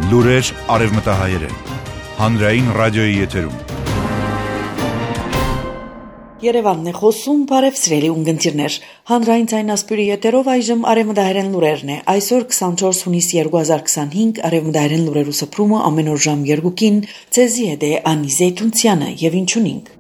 Լուրեր արևմտահայերեն, հանրային ռադիոյի եթերում։ Երևանն է խոսում, բարև սիրելի ունգընտիրներ, հանրային ցայնասպյուրի եթերով այժմ արևմտահայերեն լուրերն է, այսօր 24 հունիս 2025 արևմտահայերեն լուրերու սփռումը ամեն օր ժամ 2-ին, ցեզի հետ է Անի Զեյթունցյանը եւ ինչունինք։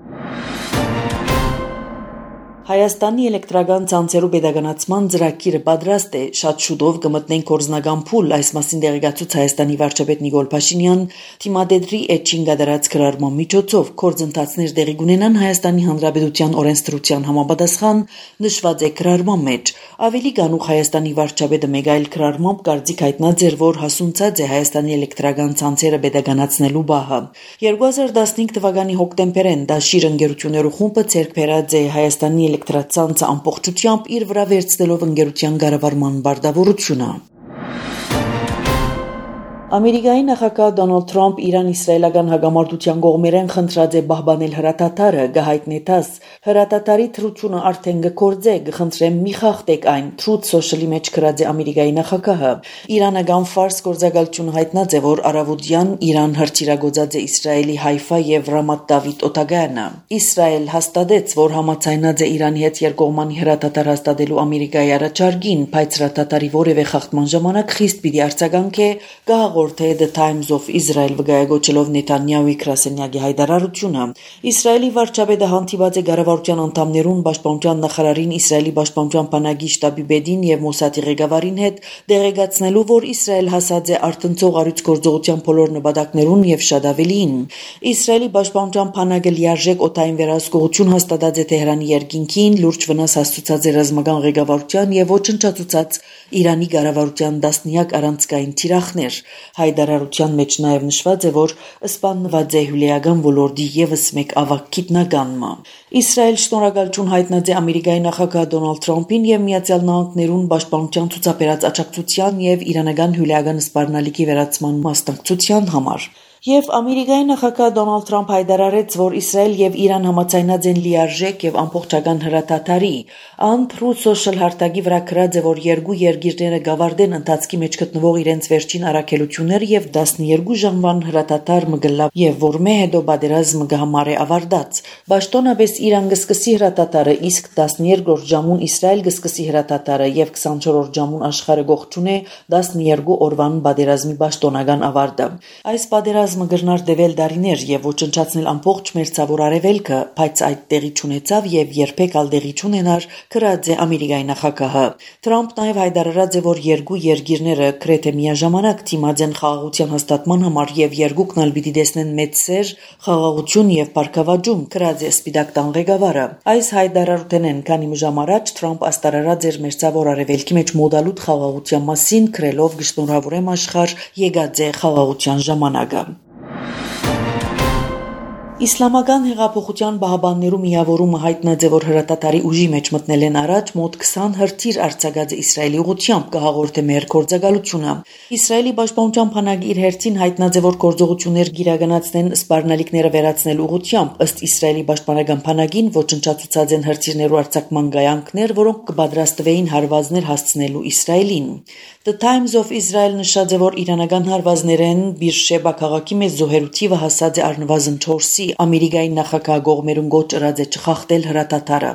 Հայաստանի էլեկտրական ցանցերու pedagoganացման ծրագիրը պատրաստ է, շատ շուտով կմտնենք կորզնական փուլ, այս մասին դեղեկացուց Հայաստանի վարչապետ Նիկոլ Փաշինյան, թիմադեդրի էջին գդարած քրարման միջոցով կորզընթացներ դեղի կունենան Հայաստանի Հանրապետության օրենսդրության համապատասխան նշված է քրարման մեջ։ Ավելի գանուխ Հայաստանի վարչապետը մեկ այլ քրարմամբ կարծիք հայտնած էր, որ հասունցած է Հայաստանի էլեկտրական ցանցերը pedagoganացնելու բահը։ 2015 թվականի հոկտեմբերին Դաշիր ընկերություններու խումբը ցերկ բերած է Հայաստանի էլեկտրացանցը ամբողջությամբ իր վրա վերցնելով ընկերության կառավարման բարդավորությունը։ Ամերիկայի նախագահ Դոնալդ Թրամփ Իրան-իսրայելական հակամարտության կողմերեն խնդրած է պահպանել հրատատարը, գահիտնեցած հրատատարի թրությունը արդեն կկործե, կխնդրեմ մի խախտեք այն, Truth Social-ի մեջ գրած է Ամերիկայի նախագահը։ Իրանական Ֆարս գործակալությունը հայտնած է, որ առավոտյան Իրան հրթիռագործած է Իսրայելի Հայֆա եւ Ռամատ Դավիթ օտագայանը։ Իսրայել հաստատեց, որ համաձայնած է Իրանի հետ երկկողմանի հրատատար հաստատելու Ամերիկայի առաջարկին, բայց հրատատարի որևէ խախտման ժամանակ խիստ պիտի արձագանքե Գաղորդե The Times of Israel վկայակոչելով Նեթանյահուի գրասենյակի հայտարարությունը։ Իսրայելի վարչապետը հանդիպած է կառավարության անդամներուն, պաշտպանության նախարարին, Իսրայելի պաշտպանության բանակի շտաբի պետին եւ Մոսադի ղեկավարին հետ դեղեկացնելու, որ Իսրայել հասած է արտնցող առյուծգործողության բոլոր նպատակներուն եւ շատ ավելին։ Իսրայելի պաշտպանության բանակը լիարժեք օդային վերահսկողություն հաստատած է Թեհրանի երկինքին, լուրջ վնաս հասցուցած է ռազմական ղեկավարության եւ ոչնչացուցած Իրանի կառավարության տասնյակ առանցքային թիրախներ։ Հայտարարության մեջ նաև նշված է, որ սպանված է հյուրական ոլորտի եւս մեկ ավագ գիտնականը։ Իսրայել շնորհակալություն հայտնած է Ամերիկայի նախագահ Դոնալդ Թրամփին եւ Միացյալ Նահանգներուն պաշտպանության ցուցաբերած աջակցության եւ իրանական հյուրական սպառնալիքի վերացման մասնակցության համար։ Եվ Ամերիկայի նախագահ Դոնալդ Թրամփ հայտարարեց, որ Իսրայել եւ Իրան համաձայնած են լիարժեք եւ ամբողջական հրատատարի։ Ան Truth Social հարտակի վրա գրած է, որ երկու երկիրները գավարդեն ընթացքի մեջ գտնվող իրենց վերջին առաքելությունները եւ 12 ժամվան հրատատար մգլավ եւ որմե հետո պատերազմը կհամարե ավարտած։ Պաշտոնապես Իրան կսկսի հրատատարը, իսկ 12-րդ ժամուն Իսրայել կսկսի հրատատարը եւ 24-րդ ժամուն աշխարհը գողջունե 12 օրվան պատերազմի պաշտոնական ավարտը։ Այս պատերազմը գրնար դեվել դարիներ եւ ոչնչացնել ամբողջ մերձավոր արևելքը, բայց այդ տեղի չունեցավ եւ երբեք ալ տեղի չունենար, գրած է Ամերիկայի նախագահը։ Թրամփն նաեւ հայտարարած է, որ երկու երկիրները գրեթե միաժամանակ դիմած են խաղաղության հաստատման համար եւ երկուքն ալ պիտի տեսնեն մեծ սեր, խաղաղություն եւ բարգավաճում, գրած է Սպիտակ տան ղեկավարը։ Այս հայտարարութենեն քանի ժամ առաջ Թրամփ աստարարած էր մերձավոր արևելքի մեջ մոդալուտ խաղաղության մասին, գրելով գշնորհավորեմ աշխարհ եկած է խաղաղության ժամանակը։ Իսլամական հեղափոխության պահապաններու միավորումը հայտնած է, որ հրատատարի ուժի մեջ մտնել են առաջ մոտ 20 հրթիռ արձակած Իսրայելի ուղղությամբ, կհաղորդե մեր գործակալությունը։ Իսրայելի պաշտպանության բանակի իր հերթին հայտնած է, որ գործողություններ գիրականացնեն սպառնալիքները վերացնելու ուղղությամբ, ըստ Իսրայելի պաշտպանական բանակին ոչնչացուցած են հրթիռներու արձակման գայանքներ, որոնք կպատրաստվեին հարվածներ հասցնելու Իսրայելին։ The Times of Israel նշած է, որ իրանական հարվածներեն Բիրշեբա քաղաքի մեջ զոհերու թիվը հասած է առնվազն 4-ի, Ամերիկայի նախագահ գողմերուն գոչ ըրած է չխախտել հրատատարը։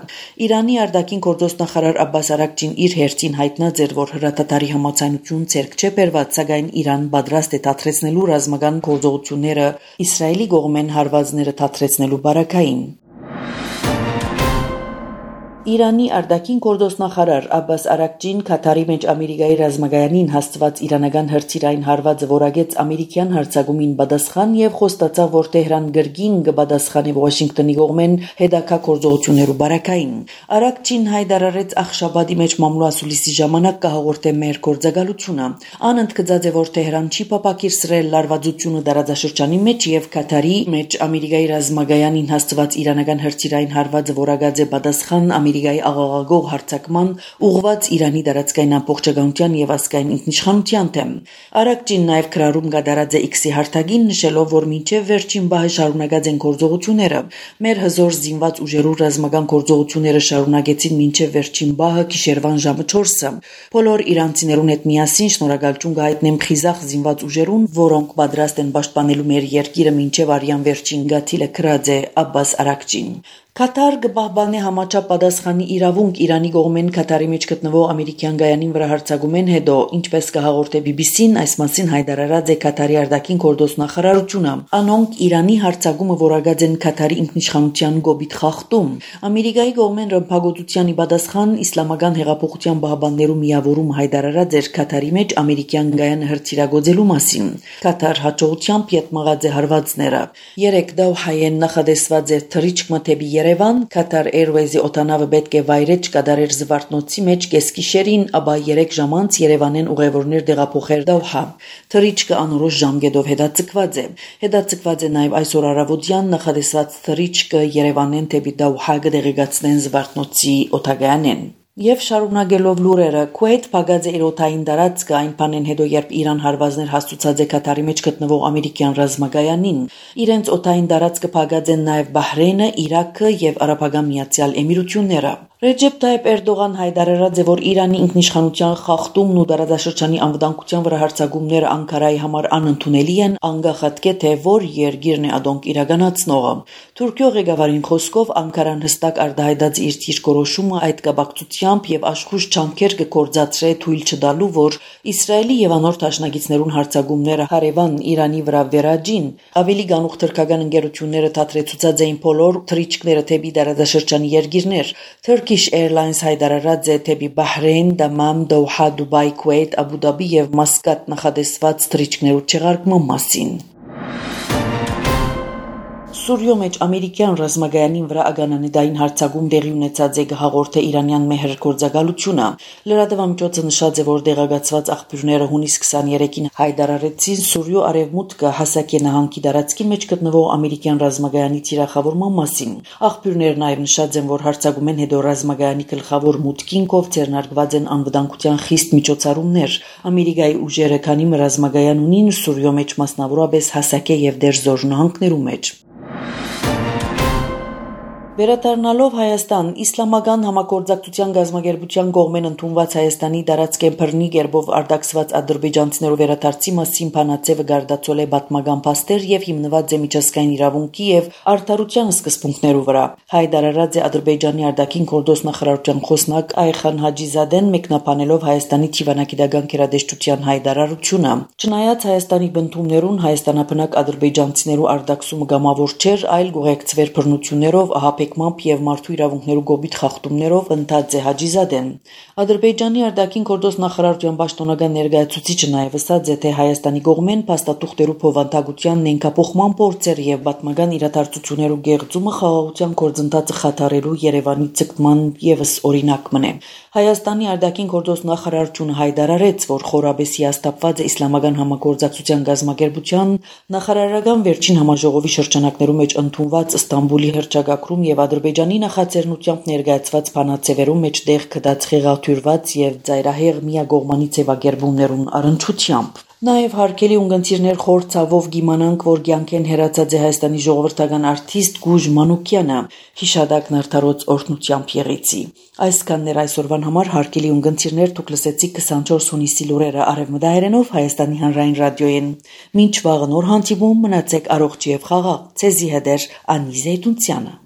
Իրանի արտաքին գործոստ նախարար Աբբաս Արաքչին իր հերթին հայտնած էր, որ հրատատարի համաձայնություն ցերկ չէ բերված, սակայն Իրան պատրաստ է դադարեցնելու ռազմական գործողությունները Իսրայելի կողմեն հարվածները դադարեցնելու բարակային։ Իրանի արտաքին գործոստնախարար Աբբաս Արաքչին Քաթարի մեջ Ամերիկայի ռազմագայանին հաստված իրանական հրթիռային հարվածը որակեց ամերիկյան հարձակումին պատասխան եւ խոստացավ, որ Թեհրան գրգին կպատասխանի Վաշինգտոնի կողմեն հետագա գործողություններու բարակային։ Արաքչին հայտարարեց Ախշաբադի մեջ մամլոասուլիսի ժամանակ կհաղորդե մեր գործակալությունը։ Ան ընդգծած է, որ Թեհրան չի պապակիրսրել լարվածությունը տարածաշրջանի մեջ եւ Քաթարի մեջ Ամերիկայի ռազմագայանին հաստված իրանական հրթիռային հարվածը որակած է պատասխան Ամերիկայի աղաղակող հարձակման ուղղված Իրանի դարածքային ամբողջականության եւ ազգային ինքնիշխանության դեմ։ Արաքչին նաեւ քրարում գդարած է X-ի հարթագին, նշելով, որ մինչեւ վերջին բահը շարունակած են գործողությունները։ Մեր հզոր զինված ուժերու ռազմական գործողությունները շարունակեցին մինչեւ վերջին բահը գիշերվան ժամը 4-ը։ Բոլոր իրանցիներուն հետ միասին շնորհակալություն կհայտնեմ խիզախ զինված ուժերուն, որոնք պատրաստ են պաշտպանելու մեր երկիրը մինչեւ արյան վերջին գաթիլը քրած է Աբբաս Արաքչին։ Կատար կպահպանի համաչափ պատասխանի իրավունք Իրանի կողմեն Կատարի մեջ գտնվող ամերիկյան գայանին վրա հարձակումեն հետո, ինչպես կհաղորդե BBC-ն, այս մասին հայտարարած է Կատարի արտաքին գործ նախարարությունը։ Անոնք Իրանի հարձակումը որակած են Կատարի ինքնիշխանության գոբիթ խախտում։ Ամերիկայի կողմեն ռմբակոծության պատասխան իսլամական հեղափոխության պահպաններու միավորում հայտարարած էր Կատարի մեջ ամերիկյան գայանը հրթիռագործելու մասին։ Կատար հաջողությամբ յետմաղած է հարվածները։ 3 Դոհայեն նախադեсված է թռիչք մթեբի Երևան, Qatar Airways-ի օտանավը պետք է վայրեջ կդարեր զվարթնոցի մեջ կեսկիշերին, ապա 3 ժամանց Երևանեն ուղևորներ տեղափոխեր Դոհա։ Թռիչքը անորոշ ժամկետով հետաձգված է։ Հետաձգված է նաև այսօր առավոտյան նախադեсված թռիչքը Երևանեն դեպի Դոհա կդեղեկացնեն զվարթնոցի օտագայանեն։ Եվ շարունակելով լուրերը, Քուեյթ փակած է իր օդային տարածքը այն բանեն հետո, երբ Իրան հարվածներ հաստուցած է Կատարի մեջ գտնվող ամերիկյան ռազմագայանին։ Իրենց օդային տարածքը փակած են նաև Բահրեյնը, Իրաքը եւ Արաբական Միացյալ Էմիրությունները։ Ռեջեփ Թայիփ Էրդողան հայտարարած է, որ Իրանի ինքնիշխանության խախտումն ու տարածաշրջանի անվտանգության վրա հարձակումները Անկարայի համար անընդունելի են, անկախ թե որ երկիրն է ադոնք իրականացնողը։ Թուրքիո ղեկավարին խոսքով Անկարան հստակ արտահայտած իր դիրքորոշումը այդ կապակցությամբ եւ աշխույժ ջանքեր կգործադրե թույլ չտալու, որ Իսրայելի եւ անոր դաշնակիցներուն հարձակումները հարևան Իրանի վրա վերաջին։ Ավելի գանուխ թուրքական ընկերությունները դադրեցուցած էին բոլոր թռիչքները թեպի տարածաշրջանի երկիրներ։ Turkish Airlines հայտարարած է թեպի Բահրեյն, Դամամ, Դոհա, Դուբայ, Քուեյթ, Աբու Դաբի եւ Մասկատ նախադեсված թռիչքներու չեղարկման մասին։ Սուրիո մեջ ամերիկյան ռազմագայանին վրա ագանանեդային հարձակում տեղի ունեցած է հաղորդե իրանյան մեհր գործակալությունը։ Լրատվամիջոցը նշած է, որ տեղեկացված աղբյուրները հունիս 23-ին հայտարարեցին Սուրիո արևմուտքը հասակե նահանգի տարածքի մեջ գտնվող ամերիկյան ռազմագայանի թիրախավորման մասին։ Աղբյուրները նաև նշած են, որ հարձակումեն հետո ռազմագայանի գլխավոր մուտքին կով ձեռնարկված են անվտանգության խիստ միջոցառումներ։ Ամերիկայի ուժերը քանի ռազմագայան ունին Սուրիո մեջ մասնավորապես հասակե եւ Դերզոր նահանգներու մեջ։ Վերադառնալով Հայաստան, Իսլամական համագործակցության գազագերբության կողմեն ընդունված Հայաստանի տարածքեն բռնի կերպով արտաքսված ադրբեջանցիներու վերադարձի մասին փանացեվը գարդացել է պատմական փաստեր եւ հիմնված է միջազգային իրավունքի եւ արդարության սկզբունքներու վրա։ Հայտարարած է Ադրբեջանի արտաքին գործ նախարարության խոսնակ Այխան Հաջիզադեն մեկնաբանելով Հայաստանի թիվանագիտական գերատեսչության հայտարարությունը։ Չնայած Հայաստանի բնդումներուն հայաստանաբնակ ադրբեջանցիներու արտաքսումը գամավոր չէր, այլ գողեկցվեր բռնություններով Պեկմամբ եւ մարդու իրավունքներու գոբիթ խախտումներով ընթաց է Հաջիզադեն։ Ադրբեջանի արտաքին գործ նախարարության պաշտոնական ներկայացուցիչը նաեւ ասաց է, թե Հայաստանի կողմեն փաստաթուղթերու փոխանցության նենկափոխման փորձեր եւ պատմական իրադարձություններու գեղձումը խաղաղության գործընթացը խաթարելու Երևանի ցկման եւս օրինակ մնե։ Հայաստանի արտաքին գործ նախարարությունը հայտարարեց, որ խորաբեսի հաստատված է իսլամական համագործակցության գազագերբության նախարարական վերջին համաժողովի շրջանակներու մեջ ընդունված Ստամբուլի հռչակագրում եւ Ադրբեջանի նախաձեռնությամբ ներկայացված բանաձևերում մեջտեղ կդած խեղաթյուրված եւ ծայրահեղ միակողմանի ձևակերպումներուն առնչությամբ։ Նաև հարկելի ունգընտիրներ խոր ցավով գիմանանք, որ կյանքեն հերացած է Հայաստանի ժողովրդական արտիստ Գուժ Մանուկյանը, հիշադակն արդարոց օրհնությամբ եղեցի։ Այսքաններ այսօրվան համար հարկելի ունգընտիրներ դուք լսեցիք 24 հունիսի լուրերը արևմտահայերենով Հայաստանի հանրային ռադիոյեն։ Մինչ վաղը նոր հանդիպում մնացեք առողջ եւ խաղաղ։ Ցեզի հետ Անի Զեյդունցյանը։